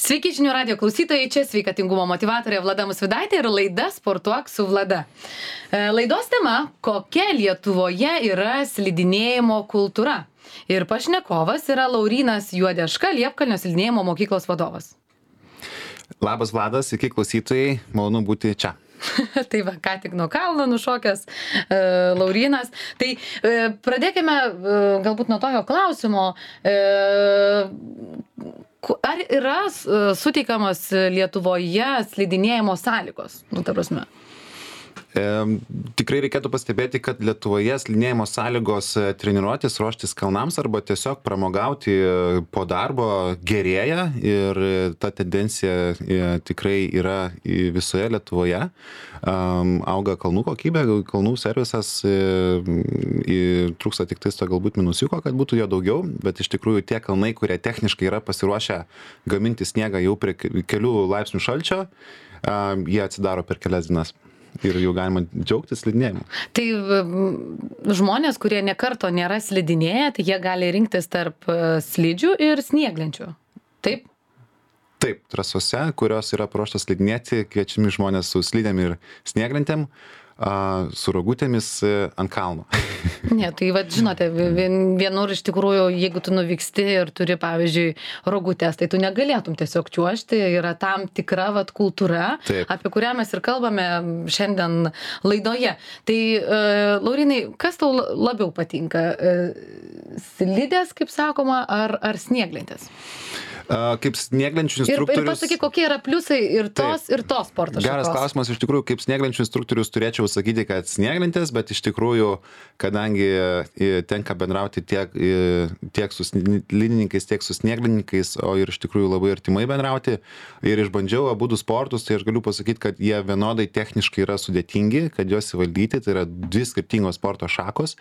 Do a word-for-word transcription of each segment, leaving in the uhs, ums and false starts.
Sveiki žinių radijo klausytojai, čia sveikatingumo motyvatorė Vlada Musvydaitė ir laida Sportuok su Vlada. Laidos tema – kokia Lietuvoje yra slidinėjimo kultūra? Ir pašnekovas yra Laurynas Juodeška, Liepkalnio slidinėjimo mokyklos vadovas. Labas Vladas, sveiki klausytojai, malonu būti čia. Tai va, ką tik nuo kalno nušokęs e, Laurynas. Tai e, pradėkime e, galbūt nuo tokio klausimo. E, ar yra e, suteikamos Lietuvoje slidinėjimo sąlygos? Nu, ta prasme. E, tikrai reikėtų pastebėti, kad Lietuvoje slidinėjimo sąlygos treniruotis, ruoštis kalnams arba tiesiog pramogauti po darbo gerėja ir ta tendencija e, tikrai yra visoje Lietuvoje. Um, auga kalnų kokybė, kalnų servisas, e, e, trūksta tik tais to galbūt minusiuko, kad būtų jo daugiau, bet iš tikrųjų tie kalnai, kurie techniškai yra pasiruošę gaminti sniegą jau prie kelių laipsnių šalčio, um, jie atsidaro per kelias dienas. Ir jau galima džiaugtis slidinėjimu. Tai žmonės, kurie nekarto nėra slidinėję, tai jie gali rinktis tarp slidžių ir snieglenčių. Taip? Taip, trasose, kurios yra paruoštos slidinėti, kviečiami žmonės su slidėm ir snieglentėm, su rogutėmis ant kalno. Ne, tai vad žinote, vienur iš tikrųjų, jeigu tu nuvyksti ir turi, pavyzdžiui, rogutės, tai tu negalėtum tiesiog čiuožti, yra tam tikra vat kultūra, Taip. Apie kurią mes ir kalbame šiandien laidoje. Tai, uh, Laurinai, kas tau labiau patinka? Uh, slidės, kaip sakoma, ar, ar snieglentės? Uh, kaip snieglenčių Ir, instruktorius... ir pasakyk, kokie yra pliusai ir tos, Taip. ir tos sporto šakos. Geras klausimas, iš tikrųjų, kaip snieglenčių instruktorius turėčiau sakyti, kad snieglentės, bet iš tikrųjų, kadangi e, tenka bendrauti tiek, e, tiek su slidininkais, tiek su snieglininkais, o ir iš tikrųjų labai artimai bendrauti, ir išbandžiau abudu sportus, tai aš galiu pasakyti, kad jie vienodai techniškai yra sudėtingi, kad juos įvaldyti, tai yra dvi skirtingos sporto šakos,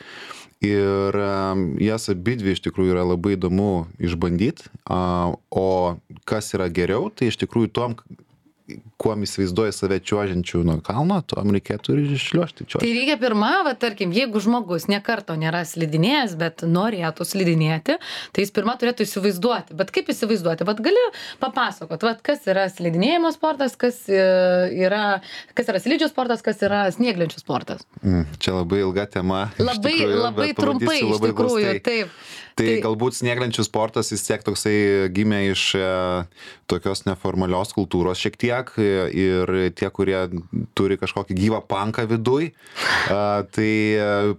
ir um, jas abidvi iš tikrųjų yra labai įdomu išbandyti, uh, o kas yra geriau, tai iš tikrųjų tom, kuom įsivaizduoja save čiuožiančių nuo kalno, tom reikėtų ir iššliuožti čiuožti. Tai reikia pirma, va, tarkim, jeigu žmogus nekarto nėra slidinėjęs, bet norėtų slidinėti, tai jis pirma turėtų įsivaizduoti. Bet kaip įsivaizduoti? Vat gali papasakot, vat, kas yra slidinėjimo sportas, kas yra, kas yra slidžių sportas, kas yra snieglenčių sportas. Mm, čia labai ilga tema. Labai, tikrųjų, labai trumpai, iš labai tikrųjų, glaustai. taip. Tai, tai galbūt snieglenčių sportas vis tiek toksai gimė iš e, tokios neformalios kultūros šiek tiek ir tie, kurie turi kažkokį gyvą panką viduj, e, tai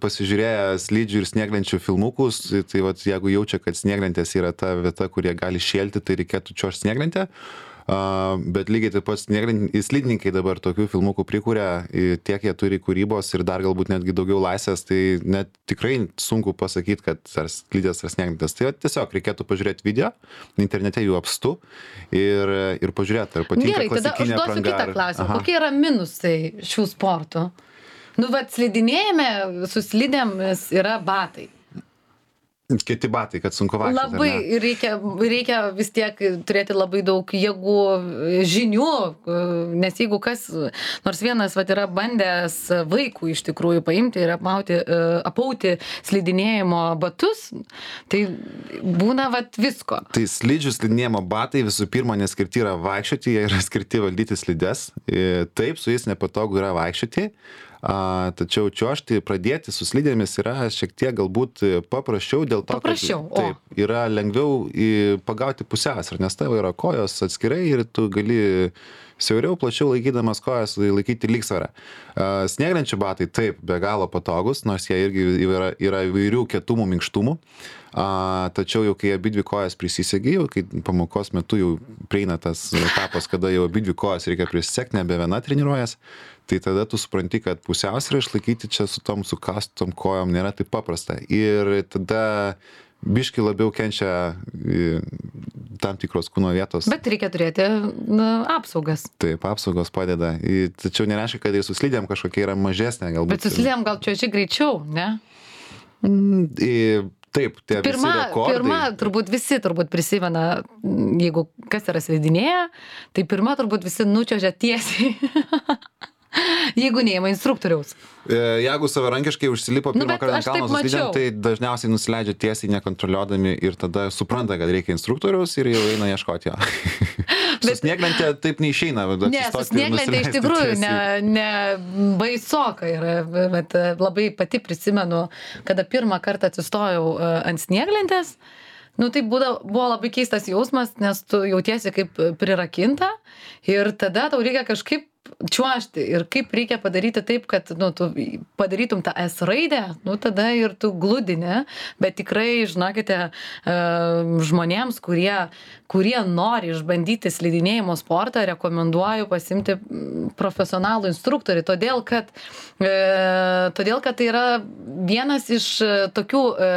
pasižiūrėję slidžių ir snieglenčių filmukus, tai vat, jeigu jaučia, kad snieglentės yra ta vieta, kurie gali šėlti, tai reikėtų čiuožti snieglentę. Uh, bet lygiai taip pat slidininkai dabar tokių filmukų prikuria, tiek jie turi kūrybos ir dar galbūt netgi daugiau laisvės, tai net tikrai sunku pasakyti, kad ar slidės ar snieglentės. Tai tiesiog reikėtų pažiūrėti video, internete jų apstu ir, ir pažiūrėti, ar patinka Gerai, klasikinė tada apranga. Gerai, tada užduosiu kitą klausimą. Kokie yra minusai šių sportų? Nu, vat slidinėjame, su slidėmis yra batai. Kiti batai, kad sunku vaikščioti. Labai reikia, reikia vis tiek turėti labai daug jėgų, žinių, nes jeigu kas, nors vienas vat, yra bandęs vaikų iš tikrųjų paimti ir apmauti, apauti slidinėjimo batus, tai būna vat, visko. Tai slidžių slidinėjimo batai visų pirma neskirti yra vaikščioti, jie yra skirti valdyti slides. Taip, su jais nepatogu yra vaikščioti. A, tačiau čiuožti, pradėti su slidėmis yra šiek tiek galbūt paprasčiau dėl to, paprasčiau, kad taip, yra lengviau į, pagauti pusiausvyrą, nes tavo yra kojos atskirai ir tu gali siauriau, plačiau laikydamas kojas laikyti lygsvarą. Snieglenčių batai taip, be galo patogus, nors jie irgi yra, yra įvairių kietumų, minkštumų. A, tačiau jau kai abidvi kojas prisisegi, jau kai pamokos metu jau prieina tas etapas, kada jau abidvi kojas reikia prisisekti, nebe viena treniruojas, tai tada tu supranti, kad pusiausvyrą išlaikyti čia su tom sukastom kojom nėra taip paprasta. Ir tada biški labiau kenčia tam tikros kūno vietos. Bet reikia turėti na, apsaugas. Taip, apsaugos padeda. Tačiau nereiškia, kad ir su slidėm kažkokia yra mažesnė galbūt. Bet su slidėm gal čiuoži greičiau, ne? Mm, taip, tie pirma, visi rekordai. Pirma, turbūt visi turbūt prisimena, jeigu kas yra slidinėję, tai pirma turbūt visi nučiuožia tiesiai. Jeigu neima instruktoriaus. Jeigu savarankiškai užsilipo Nu, pirmą bet kartą aš ant kalno taip su slidėm, mačiau. tai dažniausiai nusileidžia tiesiai nekontroliuodami ir tada supranta, kad reikia instruktoriaus ir jau eina ieškoti jo. Su Bet- snieglente taip neišeina. bet Ne, su atsistoti ir snieglente iš nusileisti tikrųjų ne, tiesiai. ne baisoka yra, bet e, labai pati prisimenu, kada pirmą kartą atsistojau e, ant snieglentės, nu tai būda, buvo labai keistas jausmas, nes tu jautiesi kaip prirakinta ir tada tau reikia kažkaip čiuožti ir kaip reikia padaryti taip, kad nu, tu padarytum tą S raidę, nu tada ir tu gludini, bet tikrai, žinokite, e, žmonėms, kurie, kurie nori išbandyti slidinėjimo sportą, rekomenduoju pasimti mm, profesionalų instruktorių, todėl kad, e, todėl kad tai yra vienas iš e, tokių e,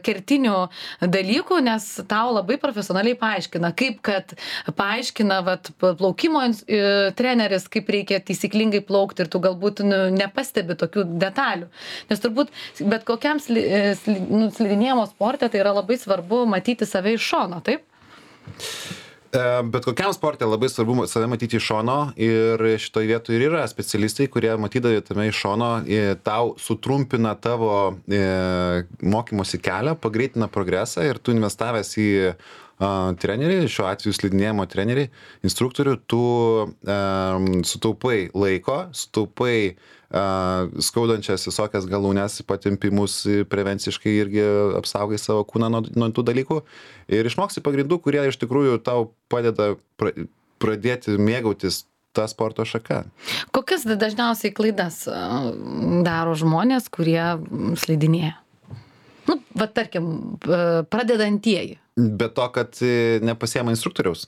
kertinių dalykų, nes tau labai profesionaliai paaiškina, kaip kad paaiškina vat, plaukimo ins- e, treneris, kaip reikia taisyklingai plaukti ir tu galbūt nu, nepastebi tokių detalių. Nes turbūt bet kokiam sli, e, sli, nu, slidinėjimo sporte tai yra labai svarbu matyti save iš šono, taip? E, Bet kokiam sportė labai svarbu save matyti iš šono ir šitoje vietoje ir yra specialistai, kurie matydami tame iš šono e, tau sutrumpina tavo e, mokymosi kelią, pagreitina progresą ir tu investavęs į a, trenerį, šiuo atveju slidinėjimo trenerį, instruktorių, tu e, sutaupai laiko, sutaupai a, skaudančias visokias galūnes, patempimus, prevenciškai irgi apsaugai savo kūną nuo, nuo tų dalykų ir išmoksi pagrindų, kurie iš tikrųjų tau padeda pra, pradėti mėgautis tą sporto šaką. Kokias dažniausiai klaidas a, daro žmonės, kurie mm, slidinėja? Nu, va tarkim, a, pradedantieji. Be to, kad e, nepasiema instruktoriaus.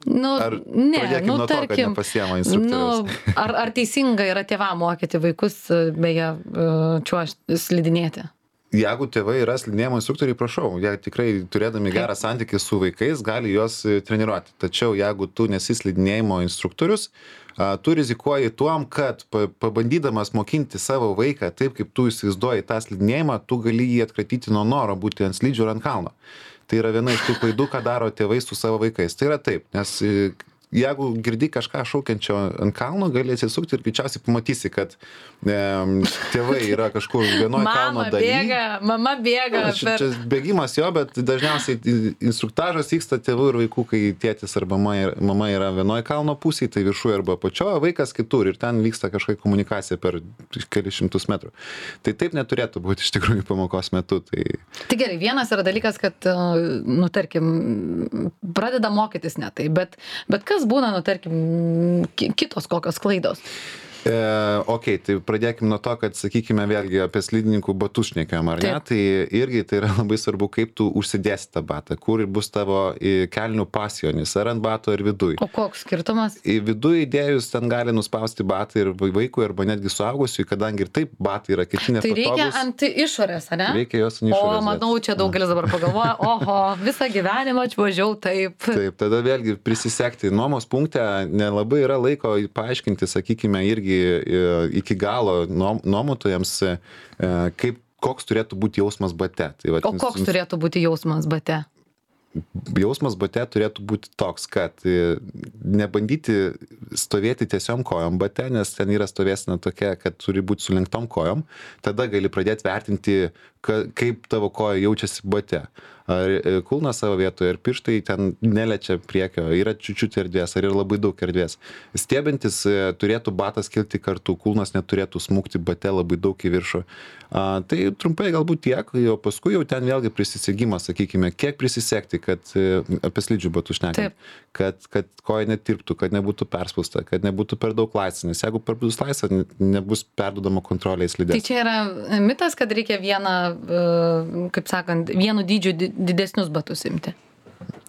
Nu, Ar ne, pradėkim nu, nuo to, kad tarkim, nepasiema instruktoriaus? nu, ar, ar teisinga yra tėvam mokyti vaikus, a, beje, čiuožti, slidinėti? Jeigu tėvai yra slidinėjimo instruktoriai, prašau, jie tikrai turėdami gerą santykį su vaikais gali juos e, treniruoti. Tačiau jeigu tu nesi slidinėjimo instruktorius, a, tu rizikuoji tuom, kad pa- pabandydamas mokinti savo vaiką taip, kaip tu įsivaizduoji tą slidinėjimą, tu gali jį atkratyti nuo noro būti ant slidžių ir ant kalno. Tai yra viena iš tų klaidų, ką daro tėvai su savo vaikais. Tai yra taip, nes e, jeigu girdi kažką šaukiančio ant kalno, gali atsisukti ir greičiausiai pamatysi, kad e, tėvai yra kažkur vienoje kalno Mama dalyje. bėga, mama bėga. Čia, Per... čia bėgimas jo, bet dažniausiai instruktažas vyksta tėvų ir vaikų, kai tėtis arba mama yra, mama yra vienoje kalno pusėje, tai viršuje arba apačioje, vaikas kitur ir ten vyksta kažkokia komunikacija per kelius šimtus metrų. Tai taip neturėtų būti iš tikrųjų pamokos metu. Tai... Tai gerai, vienas yra dalykas, kad, nu, tarkim, pradeda mokytis ne tai, bet, bet kas būna, nu, tarkim, ki- kitos kokios klaidos? E, ok, tai pradėkime nuo to, kad, sakykime, vėlgi apie slidininkų batus šnekėjom, ar ne? Taip. Tai irgi tai yra labai svarbu, kaip tu užsidėsi tą batą, kur bus tavo e, kelnių pasijonis, ar ant bato, ar viduj. O koks skirtumas? Į vidų įdėjus ten gali nuspausti batą ir vaikui arba netgi suaugusiui, kadangi ir taip batai yra kiti Tai reikia nepatogus. ant išorės, ne? Reikia jos ant O, išorės. manau, čia daugelis dabar pagalvoja, oho, visą gyvenimą atvažiavau taip. Taip, tada vėlgi prisisekti. Nuomos punkte nelabai yra laiko paaiškinti, sakykime, irgi e, iki galo nuom- nuomotojams, e, kaip, koks turėtų būti jausmas bate. Tai, vat, O koks turėtų būti jausmas bate? jausmas bate turėtų būti toks, kad e, nebandyti stovėti tiesiom kojom bate, nes ten yra stovėsena tokia, kad turi būti sulenktom kojom. Tada gali pradėti vertinti, ka, kaip tavo koja jaučiasi bate. Ar e, kulnas savo vietoje, ar pirštai ten neliečia priekio, yra čiučiut erdvės, ar yra labai daug erdvės. Stiebintis e, turėtų batas kilti kartu, kulnas neturėtų smūgti bate labai daug į viršų. A, tai trumpai galbūt tiek, o paskui jau ten vėlgi prisisegimas, sakykime, kiek prisisekti, kad e, apie slidžių batų šnekant, kad, kad koja netirptų, kad nebūtų perspausta, kad nebūtų per daug laisvė, nes jeigu per bus laisvė, ne- nebus perdodama kontrolė į Tai slidės. čia yra mitas, kad reikia vieną, e, kaip sakant, vienu dydžiu di- didesnius batus imti.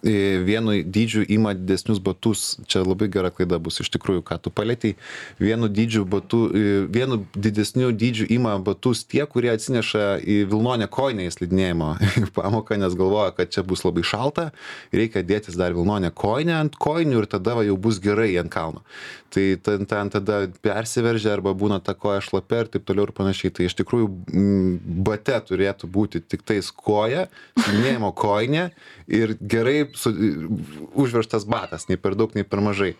E, Vienu dydžiu ima didesnius batus, čia labai gera klaida bus iš tikrųjų, ką tu palėtei. Vienu dydžiu batu, e, vienu didesniu dydžiu ima batus tie, kurie atsineša į vilnonę kojinę į slidinėjimo pamoką, nes galvoja, kad čia bus labai šalta, reikia dėtis dar vilnonę kojinę ant kojinių ir tada va, jau bus gerai ant kalno. Tai ten, ten tada persiveržia arba būna ta koja šlapia ir taip toliau ir panašiai. Tai iš tikrųjų m, bate turėtų būti tik tais koja, slidinėjimo kojinė ir gerai su, užveržtas batas, nei per daug, nei per mažai.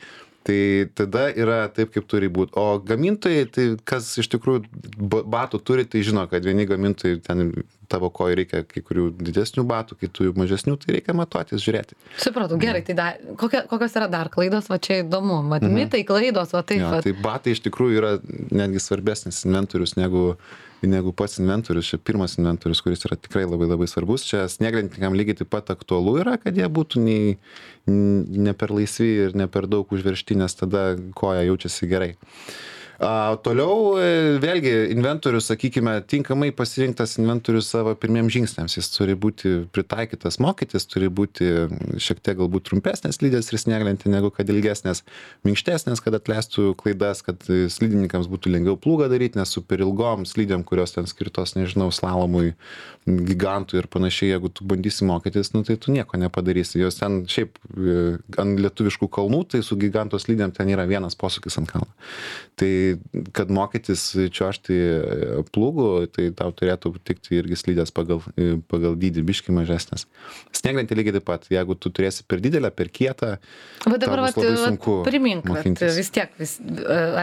Tai tada yra taip, kaip turi būti. O gamintojai, tai kas iš tikrųjų batų turi, tai žino, kad vieni gamintojai ten tavo kojai reikia kai kurių didesnių batų, kitų mažesnių, tai reikia matuotis, žiūrėti. Supratau, gerai, tai dar, kokia, kokios yra dar klaidos, va čia įdomu, mat, mhm. mitai, klaidos, va taip. Jo, va. tai batai iš tikrųjų yra netgi svarbesnis inventorius negu, negu pats inventorius. Čia pirmas inventorius, kuris yra tikrai labai labai svarbus. Čia snieglentininkam lygiai taip pat aktualu yra, kad jie būtų nei, ne per laisvi ir ne per daug užveržti, nes tada koja jaučiasi gerai. A, toliau vėlgi inventorius, sakykime, tinkamai pasirinktas inventorius savo pirmiems žingsniams. Jis turi būti pritaikytas mokytis, turi būti šiek tiek galbūt trumpesnės slidės ir snieglentė negu kad ilgesnės, minkštesnės, kad atleistų klaidas, kad slidininkams būtų lengviau plūgą daryti, nes su per ilgom slidėm, kurios ten skirtos, nežinau, slalomui, gigantui ir panašiai, jeigu tu bandysi mokytis, nu, tai tu nieko nepadarysi. Jos ten šiaip ant lietuviškų kalnų, tai su giganto slidėm ten yra vienas posūkis ant kalno. Tai kad mokytis čiuožti plūgų, tai tau turėtų tikti irgi slidės pagal, pagal dydį biškį mažesnės. Snieglentė lygiai taip pat, jeigu tu turėsi per didelę, per kietą, va dabar tau bus labai sunku primink, mokintis. Vis tiek vis,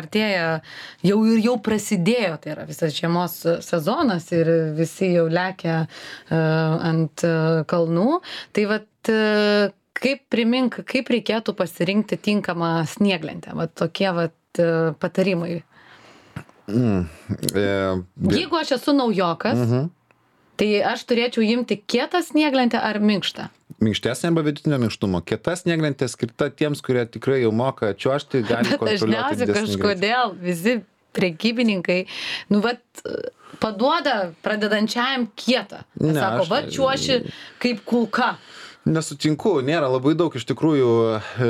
artėja, jau ir jau prasidėjo, tai yra visas žiemos sezonas ir visi jau lekia uh, ant uh, kalnų. Tai vat uh, kaip primink, kaip reikėtų pasirinkti tinkamą snieglentę, va tokie vat patarimai. Mm, e, Jeigu aš esu naujokas, uh-huh. tai aš turėčiau imti kietą snieglentę ar minkštą? Minkštesnė arba vidutinio minkštumo. Kieta snieglentė skirta tiems, kurie tikrai jau moka čiuožti, gali kontroliuoti didesnį greitį. Bet dažniausiai kažkodėl visi prekybininkai, nu vat, paduoda pradedančiajam kietą. Ne, sako, aš... va čiuoši kaip kulka. Nesutinku, nėra labai daug iš tikrųjų e,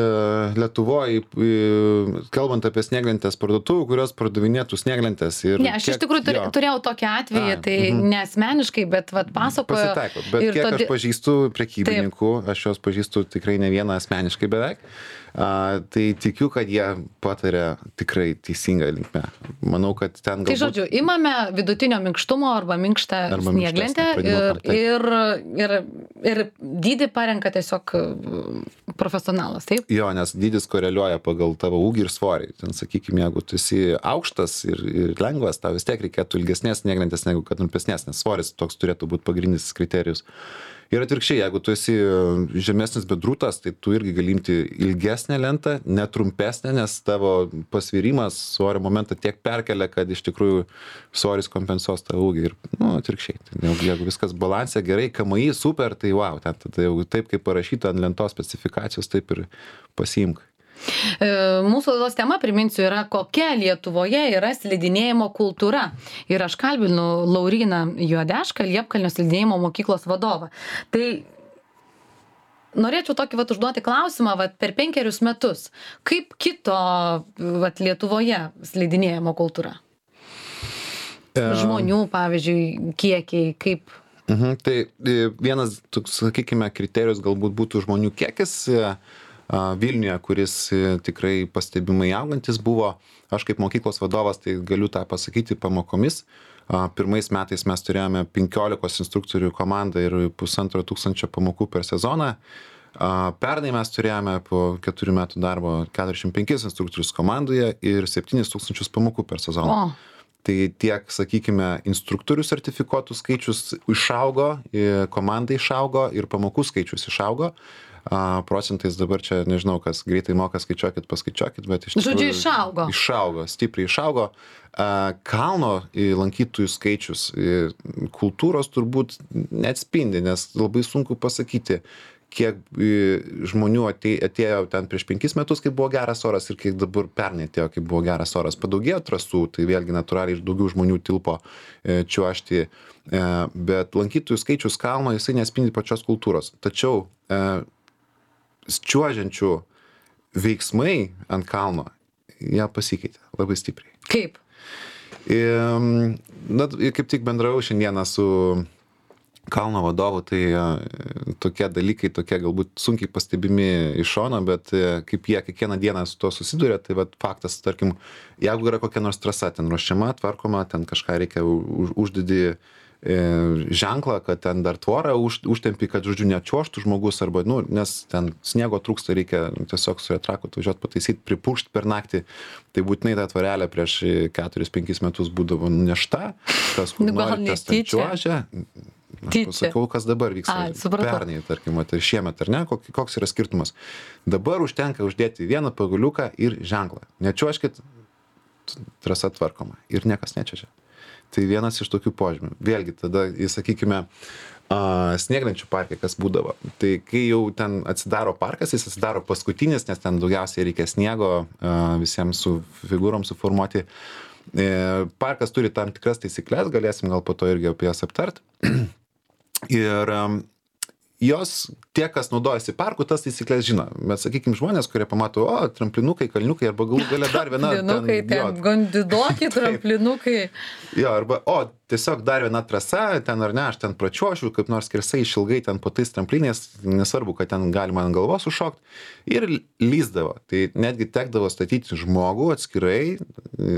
Lietuvoje, e, kalbant apie snieglentės parduotuvų, kurios pardavinėtų snieglentės. Ir ne, aš kiek, iš tikrųjų turi, turėjau tokį atvejį, A, tai uh-huh. neasmeniškai, bet vat, pasakojo. Pasitaiko, bet kiek todėl... aš pažįstu prekybininkų, Taip. aš juos pažįstu tikrai ne vieną asmeniškai beveik. A, tai tikiu, kad jie pataria tikrai teisingą linkmę. Manau, kad ten galbūt... Tai žodžiu, imame vidutinio minkštumo arba minkštą arba snieglentę ir, ir, ir, ir dydį parenka tiesiog profesionalas, taip? Jo, nes dydis koreliuoja pagal tavo ūgį ir svorį. Ten, sakykime, jeigu tu esi aukštas ir, ir lengvas, tau vis tiek reikėtų ilgesnės snieglentės negu kad trumpesnės, nes svoris toks turėtų būti pagrindinis kriterijus. Ir atvirkščiai, jeigu tu esi žemesnis bet drūtas, tai tu irgi gali imti ilgesnę lentą, netrumpesnę, nes tavo pasvirimas svorio momentą tiek perkelia, kad iš tikrųjų svoris kompensuos tą ūgį. Ir, nu, atvirkščiai. Tai, jeigu viskas balansė gerai, K M I super, tai wow, ten, tada jau taip, kaip parašyta ant lentos specifikacijos, taip ir pasiimk. Mūsų laidos tema, priminsiu, yra kokia Lietuvoje yra slidinėjimo kultūra. Ir aš kalbinu Lauryną Juodešką, Liepkalnio slidinėjimo mokyklos vadovą. Tai norėčiau tokį vat užduoti klausimą, vat per penkerius metus. Kaip kito vat Lietuvoje slidinėjimo kultūra? Žmonių, pavyzdžiui, kiekiai, kaip... Mhm, tai vienas, sakykime, kriterijus galbūt būtų žmonių kiekis Vilniuje, kuris tikrai pastebimai augantis buvo. Aš kaip mokyklos vadovas, tai galiu tą pasakyti pamokomis. Pirmais metais mes turėjome penkiolikos instruktorių komandą ir pusantro tūkstančio pamokų per sezoną. Pernai mes turėjome po keturių metų darbo keturiasdešimt penkis instruktorius komandoje ir septynis tūkstančius pamokų per sezoną. O. Tai tiek, sakykime, instruktorių sertifikuotų skaičius išaugo, komanda išaugo ir pamokų skaičius išaugo. A, procentais dabar čia, nežinau, kas greitai moka, skaičiuokit, paskaičiuokit, bet iš tikrųjų... Žodžiu, išaugo. Išaugo, stipriai išaugo. A, kalno lankytojų skaičius kultūros turbūt neatspindi, nes labai sunku pasakyti, kiek žmonių atėjo ten prieš penkis metus, kai buvo geras oras ir kiek dabar pernai atėjo, kai buvo geras oras. Padaugėjo trasų, tai vėlgi natūraliai ir daugiau žmonių tilpo čiuožti, bet lankytojų skaičius kalno jisai nespindi pačios kultūros. Tačiau čiuožiančių veiksmai ant kalno, jie pasikeitė labai stipriai. Kaip? Na, kaip tik bendravau šiandieną su kalno vadovu, tai tokie dalykai, tokie galbūt sunkiai pastebimi iš šono, bet kaip jie kiekvieną dieną su tuo susiduria, tai vat faktas, tarkim, jeigu yra kokia nors trasa ten ruošiama, tvarkoma, ten kažką reikia už, uždedi ženklą, kad ten dar tvorą už, užtempi, kad, žodžiu, nečiuoštų žmogus, arba, nu, nes ten sniego trūksta, reikia tiesiog su retraku atvažiuoti pataisyti, pripūšti per naktį. Tai būtinai ta tvorelė prieš keturis penkis metus būdavo nešta, kas kur nori, tas ten čiuožia. Aš pasakiau, kas dabar vyksta. Pernai, tarkim, tai šiemet, ar ne, koks yra skirtumas. Dabar užtenka uždėti vieną paguliuką ir ženklą. Nečiuoškit, trasa tvarkoma ir niekas nečiuožia. Tai vienas iš tokių požymių. Vėlgi, tada, sakykime, snieglenčių parke, kas būdavo. Tai kai jau ten atsidaro parkas, jis atsidaro paskutinis, nes ten daugiausiai reikia sniego visiems su figūrom suformuoti. Parkas turi tam tikras taisyklės, galėsim gal po to irgi apie jas aptart. Ir jos, tie, kas naudojasi parku, tas taisyklės žino. Bet, sakykime, žmonės, kurie pamato, o, tramplinukai, kalniukai, arba galų gale dar viena... Tramplinukai, ten, ten gondidoki, tramplinukai. Jo, arba, o, tiesiog dar viena trasa, ten ar ne, aš ten pračiuošiu, kaip nors skersai išilgai ten po tais tramplinės, nesvarbu, kad ten galima ant galvos užšokti, ir lyzdavo. Tai netgi tekdavo statyti žmogų atskirai,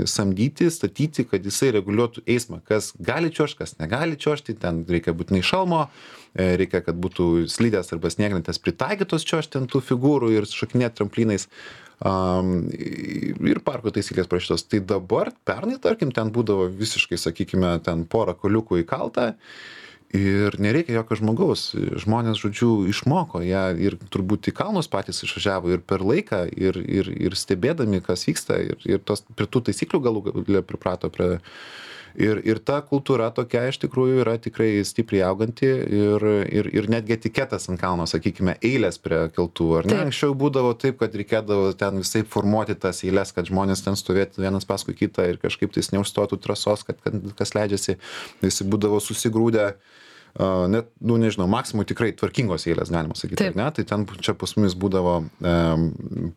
samdyti, statyti, kad jisai reguliuotų eismą, kas gali čiuošti, kas negali čiuošti, ten reikia būtinai šalmo, reikia, kad būtų slidės arba snieglentės pritaikytos čiuožti ant tų figūrų ir šokinėti tramplinais. Um, ir parko taisyklės prašytos. Tai dabar, pernai, tarkim, ten būdavo visiškai, sakykime, ten porą koliukų įkalta ir nereikia jokio žmogaus. Žmonės, žodžiu, išmoko ją ir turbūt į kalnus patys išvažiavo ir per laiką ir, ir, ir stebėdami, kas vyksta ir, ir tos, prie tų taisyklių galų galę priprato prie... Ir, ir ta kultūra tokia iš tikrųjų yra tikrai stipriai auganti ir, ir, ir netgi etiketas ant kalno, sakykime, eilės prie keltų. Ar ne? Anksčiau būdavo taip, kad reikėdavo ten visai formuoti tas eilės, kad žmonės ten stovėtų vienas paskui kitą ir kažkaip tais neužstotų trasos, kad, kad kas leidžiasi, visi būdavo susigrūdę. Uh, net, nu nežinau, maksimum tikrai tvarkingos eilės, galima sakyti, ar ne? Tai ten čia pas mumis būdavo um,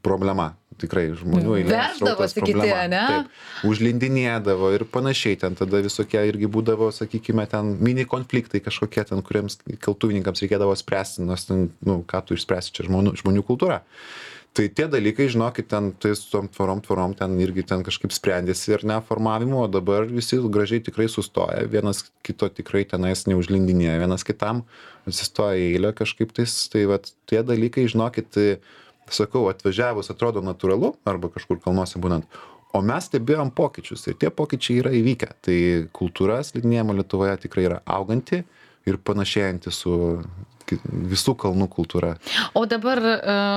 problema, tikrai žmonių eilės. Veždavosi kiti, ne? Taip, užlindinėdavo ir panašiai, ten tada visokie irgi būdavo, sakykime, ten mini konfliktai kažkokie ten, kuriems keltuvininkams reikėdavo spręsti, nes ten, nu, ką tu išspręsi, čia žmonių, žmonių kultūra. Tai tie dalykai, žinokit, ten tai su tom tvorom, tvorom ten irgi ten kažkaip sprendėsi ir neformavimo, o dabar visi gražiai tikrai sustoja, vienas kito tikrai tenais neužlindinėja, vienas kitam atsistoja eilę kažkaip tais, tai vat tie dalykai, žinokit, tai, sakau, atvažiavus atrodo natūralu, arba kažkur kalnuose būnant, o mes stebėjom pokyčius ir tie pokyčiai yra įvykę, tai kultūra slidinėjimo Lietuvoje tikrai yra auganti ir panašėjanti su visų kalnų kultūra. O dabar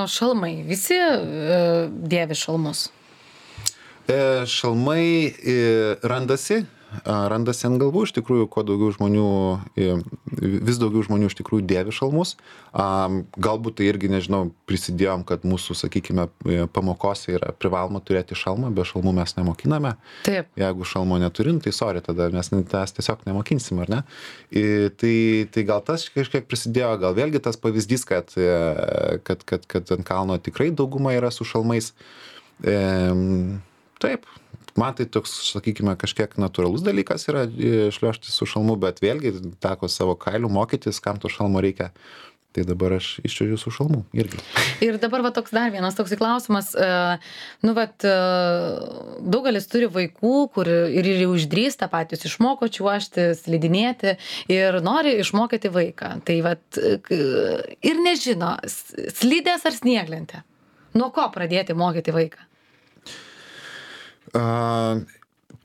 šalmai, visi dėvi šalmus? Šalmai randasi, randasi ant galvų, iš tikrųjų, kuo daugiau žmonių, vis daugiau žmonių iš tikrųjų dėvi šalmus. Galbūt tai irgi, nežinau, prisidėjom, kad mūsų, sakykime, pamokose yra privaloma turėti šalmą, be šalmų mes nemokiname. Taip. Jeigu šalmo neturim, tai sorry, tada mes tas tiesiog nemokinsim, ar ne? Tai, tai gal tas kažkiek prisidėjo, gal vėlgi tas pavyzdys, kad, kad, kad, kad ant kalno tikrai dauguma yra su šalmais. Taip. Man tai toks, sakykime, kažkiek natūralus dalykas yra šliuožti su šalmu, bet vėlgi teko savo kailių mokytis, kam to šalmo reikia. Tai dabar aš iščiuožiu su šalmu irgi. Ir dabar va toks dar vienas toks klausimas. Nu, vat, daugelis turi vaikų, kur ir jau išdrįsta patys išmoko čiuožti, slidinėti ir nori išmokyti vaiką. Tai vat, ir nežino, slidės ar snieglentė. Nuo ko pradėti mokyti vaiką? Uh,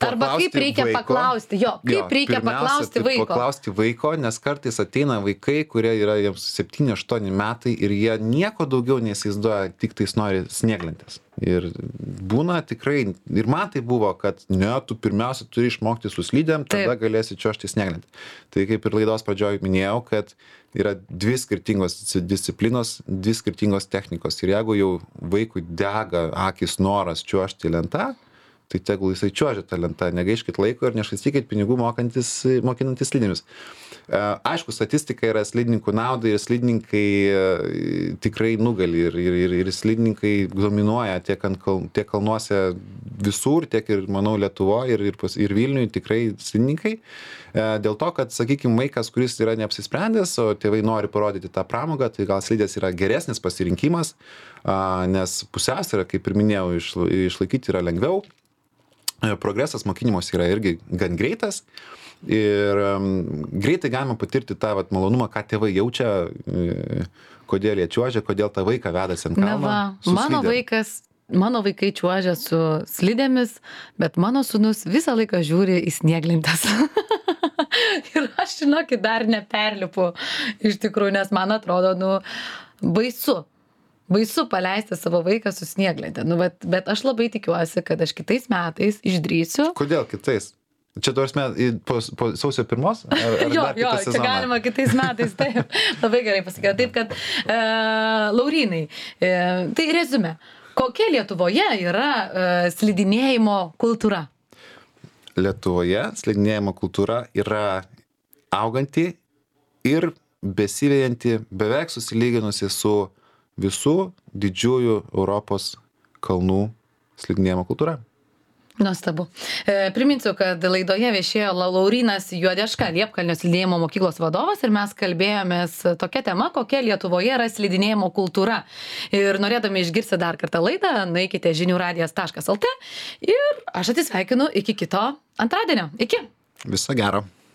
Arba kaip reikia vaiko, paklausti, jo, kaip jo, reikia paklausti vaiko. Paklausti vaiko, nes kartais ateina vaikai, kurie yra jiems septyni aštuoni metai ir jie nieko daugiau neįsivaizduoja, tik tais nori snieglentės. Ir būna tikrai, ir man tai buvo, kad ne, tu pirmiausia turi išmokti su slidėm, tada Taip. Galėsi čiuožti snieglentę. Tai kaip ir laidos pradžioj minėjau, kad yra dvi skirtingos disciplinos, dvi skirtingos technikos. Ir jeigu jau vaikui dega akis noras čiuožti lentą, tai tegul jisai čiuožia tą lentą, negaiškit laiko ir nešvaistykit pinigų mokantis, mokinantis slidinius. Aišku, statistika yra slidininkų naudai ir slidininkai tikrai nugali ir, ir, ir, ir slidininkai dominuoja tiek, ant, tiek kalnuose visur, tiek ir, manau, Lietuvoje ir, ir, ir Vilniuje tikrai slidininkai. Dėl to, kad, sakykime, vaikas, kuris yra neapsisprendęs, o tėvai nori parodyti tą pramogą, tai gal slidės yra geresnis pasirinkimas, nes pusiausvyrą, kaip ir minėjau, išlaikyti yra lengviau. progresas mokinimos yra irgi gan greitas. Ir um, greitai galima patirti tą vat, malonumą, ką tėvai jaučia, e, kodėl jie čiuožia, kodėl tą vaiką vedasi ant Na kalno. va, su mano slidėm. vaikas, mano vaikai čiuožia su slidėmis, bet mano sūnus visą laiką žiūri į snieglentes. Ir aš, žinokit, dar neperlipu iš tikrųjų, nes man atrodo, nu, baisu. Baisu paleisti savo vaiką su snieglente. Nu, bet, bet aš labai tikiuosi, kad aš kitais metais išdrįsiu. Kodėl kitais? Čia tuos met, po, po sausio pirmos? Ar, ar Jo, dar jo, kitą čia sezoną? galima kitais metais, taip. Labai gerai pasakė. Taip, kad, e, Laurynai, e, tai rezume, kokia Lietuvoje yra e, slidinėjimo kultūra? Lietuvoje slidinėjimo kultūra yra auganti ir besivejanti, beveik susilyginusi su visų didžiųjų Europos kalnų slidinėjimo kultūra. Nuostabu. E, priminsiu, kad laidoje viešėjo Laurynas Juodeška, Liepkalnio slidinėjimo mokyklos vadovas ir mes kalbėjomės tokia tema, kokia Lietuvoje yra slidinėjimo kultūra. Ir norėdami išgirsti dar kartą laidą, nueikite žinių radijas taškas lt ir aš atsisveikinu iki kito antradienio. Iki. Viso gero.